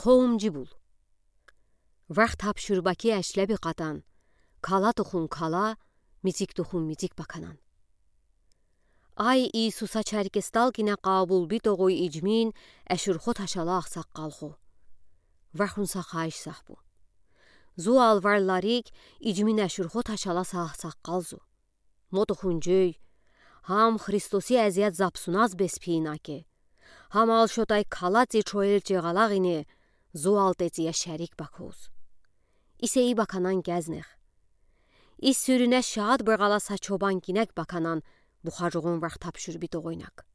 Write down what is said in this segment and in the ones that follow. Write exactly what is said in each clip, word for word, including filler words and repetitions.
Кхоумжи бул. Варх тапшурбаки эшлеби катан, кала тухун кала, мицик тухун мицик баканан. Ай Иисуса чаркестал кине къабулби тогъуй ичмин эшурхо ташала агъсакъалхо. Вархун са хайыш сахбу. Зуал варьларик ичмин эшурхо ташала са агъсакъал зу. Мо тухун жӧй, гьам Христоси эзият запсуназ бес пиин аке. Гьамал шотай калаци чоел чегъалаг ине зуал тецъя шерик бакуз. Исе и баканан кезнех. Ис сюрюне шаат быгъала са чобан кинек баканан бухажугъун варх тапшурби тогъуйнак.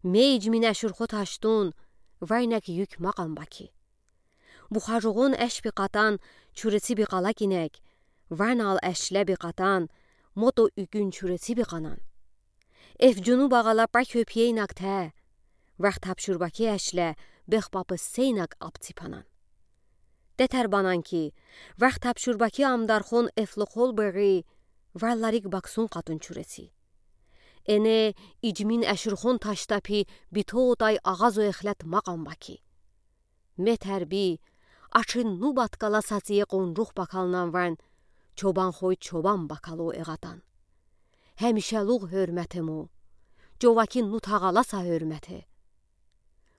Ме ичмин эшурхо ташдун, варьнек юк макъан баки. Бухажугъун эшби катан чурециби кала кинек, ванал эшлеби катан, мото юкюн чурециби канан. Эф жуну багъала пра кёпьейнак тэ, варх тапшурбаки эшле бехпапы сейнак апципанан. Детер банан ки, варх тапшурбаки амдархон эфлохол бери, варьларик баксун катун чуреци. Эне ичмин эшурхон ташта пи битотай агъазо эхлет макъан баки. Метер би, ачин ну баткала сацие къунрух бакалнан варн, чобан хой чобан бакало эгъатан. Гьемишелугъ гьуьрмете мо, човаки ну тагъала са гьуьрмете.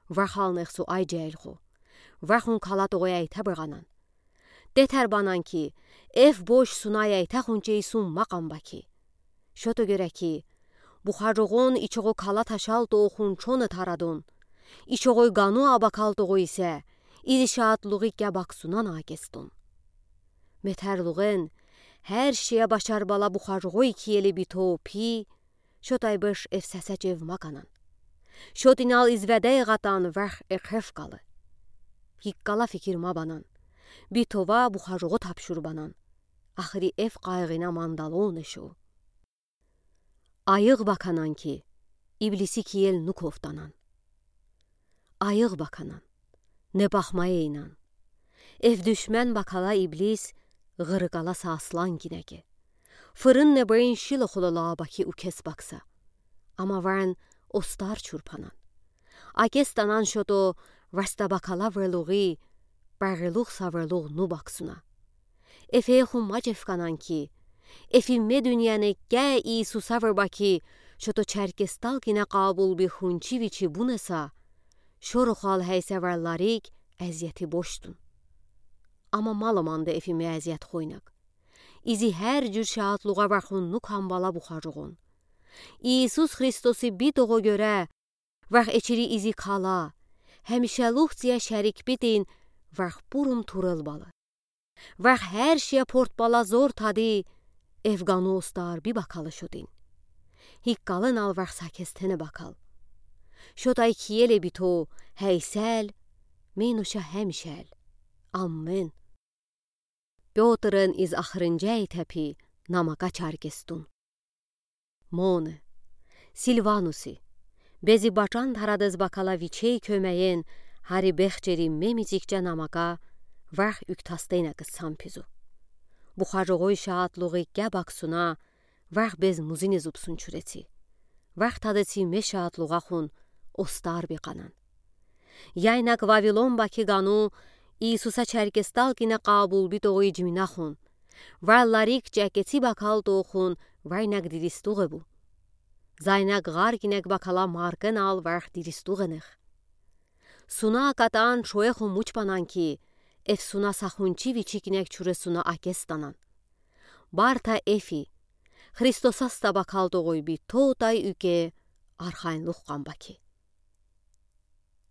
Вархалнех су ай жегьилхо, вархун кала тогъуй эйте быгъанан. Детер банан ки, эф бош суна эйте хунчей сун макъан баки. Шото гёре ки, бухажугъун ичогъо кала ташал тогъун чоне тарадун, ичогъой гану абакал тогъуй исе, изи шаатлугъи кебаксунан акестун. Метерлугъен, гьер шие башарбала бухажугъой киели бито пи, шотай беш эф сесе чев маканан. Шотинал из веде эгъатан варх экъев калы. Гиккала фикир мабанан. Битова бухажугъу тапшурбанан. Ахри эф къайгъина мандалон эшо. Айыгъ баканан ки, иблиси киел ну ковтанан. Айыгъ баканан, не бахмай эйнан. Эф душмен бакала иблис, гъырыкъала са аслан кинеке. Фырын не бейин шилохулала баки укес бакса. Ама варн остар чурпанан. Акестанан шото варста бакала врелугъи, барелугъ са врелугъ ну баксуна. Эфе хум мачев канан ки, эфи ме дуьньяне ке Иисуса врба ки, шото чаркестал кине къабулби хунчи вичи бунеса, шорохал гьейсе вреларик эзиети бошдун. Ама мало манде эфи ме эзиет хойнак. Изи гьер жуьр шаатлугъа вархун ну камбала бухажугъун. Иисус Христоси битогъо гёре, варх эчири изи кала, гьемишелугъ цие шерик битин, варх пурум турел балы. Варх гьер шие портбала зор тади, эф гану остар би бакалы шотин. Гиккалынал варх са кестене бакал. Шотай киеле бито гьейсел, менуша гьемишел. Аммен. Пётрен из ахырынжа эйте пи намака чаркестун. Моне, Сильвануси, бези бачан тарадез бакала вичей кёмеен, гьари бехчери ме мицикча намака, варх уьктастейна кыссам пизу. Бухажугъуй шаатлугъи кебаксуна, варх без музине зубсун чуреци. Варх тадеци ме шаатлугъа хун остар би канан. Яйнак Вавилон баки гану Иисуса чаркестал кине къабул битогъуй ижмина хун. Валларик чакеци бакал тохун вайнак диристугъе бу. Зайнак гъар кинек бакала маркенал варх диристугъенех. Суна акатан шуэ хумуч банан ки, эф суна сахунчи вичи кинек чуре суна акестанан. Барта эфи, Христосаста бакал тогъуй би тотай уьке архайнлух къамбаки.